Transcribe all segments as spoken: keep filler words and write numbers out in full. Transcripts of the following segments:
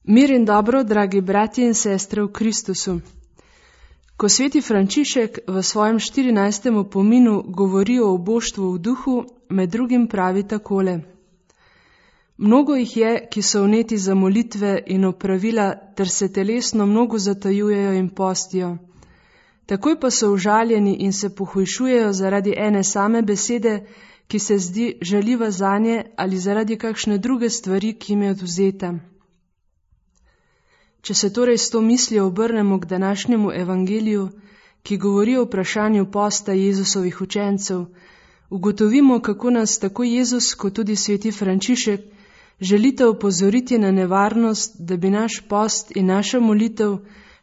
Mir in dobro, dragi bratje in sestre v Kristusu. Ko sveti Frančišek v svojem štirinajstem opominu govori o oboštvu v duhu, med drugim pravi takole. Mnogo jih je, ki so vneti za molitve in opravila, ter se telesno mnogo zatajujejo in postijo. Takoj pa so užaljeni in se pohujšujejo zaradi ene same besede, ki se zdi žaljiva zanje, ali zaradi kakšne druge stvari, ki jim je odvzeta. Če se torej s to mislijo obrnemo k današnjemu evangeliju, ki govori o vprašanju posta Jezusovih učencev, ugotovimo, kako nas tako Jezus kot tudi sveti Frančišek želite opozoriti na nevarnost, da bi naš post in naša molitev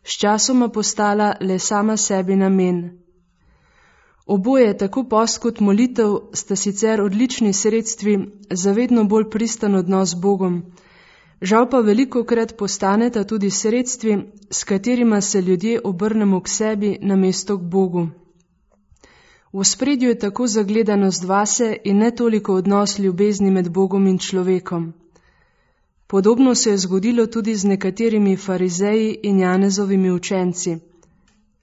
sčasoma postala le sama sebi namen. Oboje, tako post kot molitev, sta sicer odlični sredstvi za vedno bolj pristan odnos z Bogom, žal pa velikokrat postaneta tudi sredstvi, s katerima se ljudje obrnemo k sebi namesto k Bogu. V ospredju je tako zagledanost vase in ne toliko odnos ljubezni med Bogom in človekom. Podobno se je zgodilo tudi z nekaterimi farizeji in Janezovimi učenci.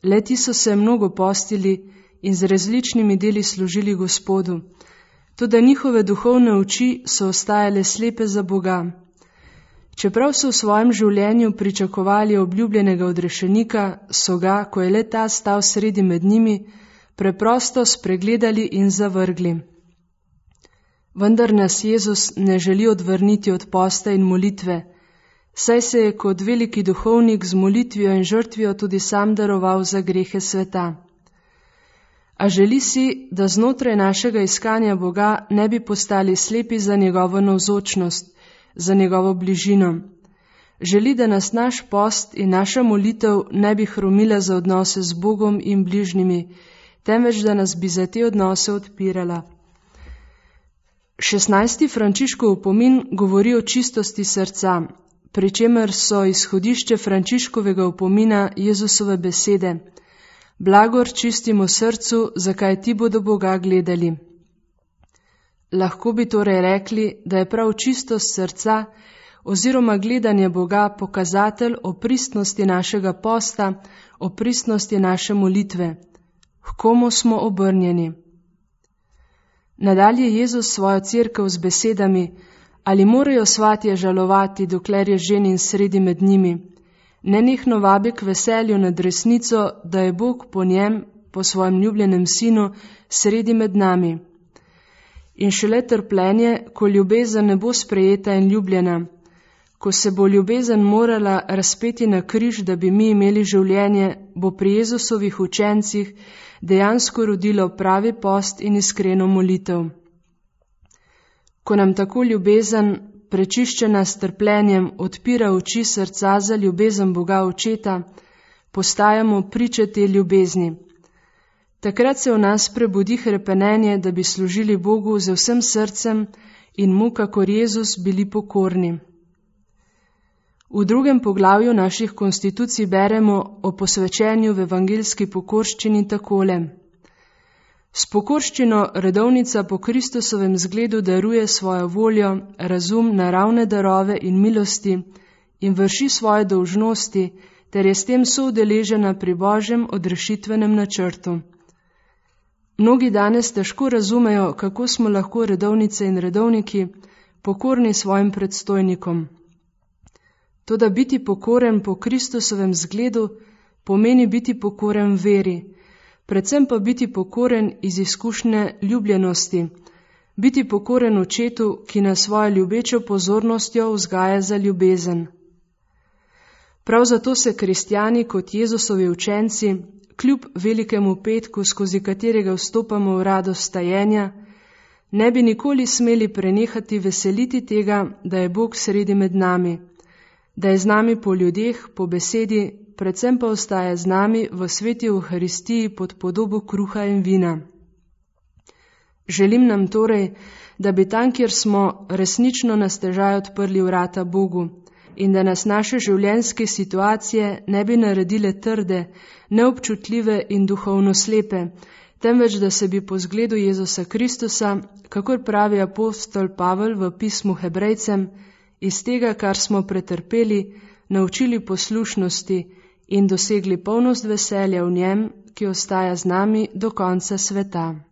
Le-ti so se mnogo postili in z različnimi deli služili Gospodu, toda njihove duhovne oči so ostajale slepe za Boga. Čeprav so v svojem življenju pričakovali obljubljenega odrešenika, so ga, ko je le ta stal sredi med njimi, preprosto spregledali in zavrgli. Vendar nas Jezus ne želi odvrniti od posta in molitve, saj se je kot veliki duhovnik z molitvijo in žrtvijo tudi sam daroval za grehe sveta. A želi si, da znotraj našega iskanja Boga ne bi postali slepi za njegovo navzočnost, za njegovo bližino. Želi, da nas naš post in naša molitev ne bi hromila za odnose z Bogom in bližnjimi, temveč da nas bi za te odnose odpirala. šestnajsti Frančiškov opomin govori o čistosti srca, pri čemer so izhodišče Frančiškovega opomina Jezusove besede: Blagor čistimo srcu, zakaj ti bodo Boga gledali. Lahko bi torej rekli, da je prav čistost srca oziroma gledanje Boga pokazatelj o pristnosti našega posta, o pristnosti naše molitve. H komu smo obrnjeni? Nadalje Jezus svojo cerkev z besedami: ali morajo svatje žalovati, dokler je ženin sredi med njimi? Nenehno vabi k veselju nad resnico, da je Bog po njem, po svojem ljubljenem sinu, sredi med nami. In šele trpljenje, ko ljubezen ne bo sprejeta in ljubljena, ko se bo ljubezen morala razpeti na križ, da bi mi imeli življenje, bo pri Jezusovih učencih dejansko rodilo pravi post in iskreno molitev. Ko nam tako ljubezen, prečiščena s trpljenjem, odpira oči srca za ljubezen Boga Očeta, postajamo priče te ljubezni. Takrat se v nas prebudi hrepenenje, da bi služili Bogu z vsem srcem in mu, kakor Jezus, bili pokorni. V drugem poglavju naših konstitucij beremo o posvečenju v evangeljski pokorščini takole. S pokorščino redovnica po Kristusovem zgledu daruje svojo voljo, razum, naravne darove in milosti in vrši svoje dolžnosti, ter je s tem soudeležena pri Božjem odrešitvenem načrtu. Mnogi danes težko razumejo, kako smo lahko redovnice in redovniki pokorni svojim predstojnikom. Toda biti pokoren po Kristusovem zgledu pomeni biti pokoren veri, predvsem pa biti pokoren iz izkušnje ljubljenosti, biti pokoren Očetu, ki nas svojo ljubečo pozornostjo vzgaja za ljubezen. Prav zato se kristjani kot Jezusovi učenci, kljub velikemu petku, skozi katerega vstopamo v radost stajenja, ne bi nikoli smeli prenehati veseliti tega, da je Bog sredi med nami, da je z nami po ljudeh, po besedi, predvsem pa ostaja z nami v sveti Evharistiji pod podobo kruha in vina. Želim nam torej, da bi tam, kjer smo, resnično na stežaj odprli vrata Bogu in da nas naše življenjske situacije ne bi naredile trde, neobčutljive in duhovno slepe, temveč da se bi po zgledu Jezusa Kristusa, kakor pravi apostol Pavel v pismu Hebrejcem, iz tega, kar smo pretrpeli, naučili poslušnosti in dosegli polnost veselja v njem, ki ostaja z nami do konca sveta.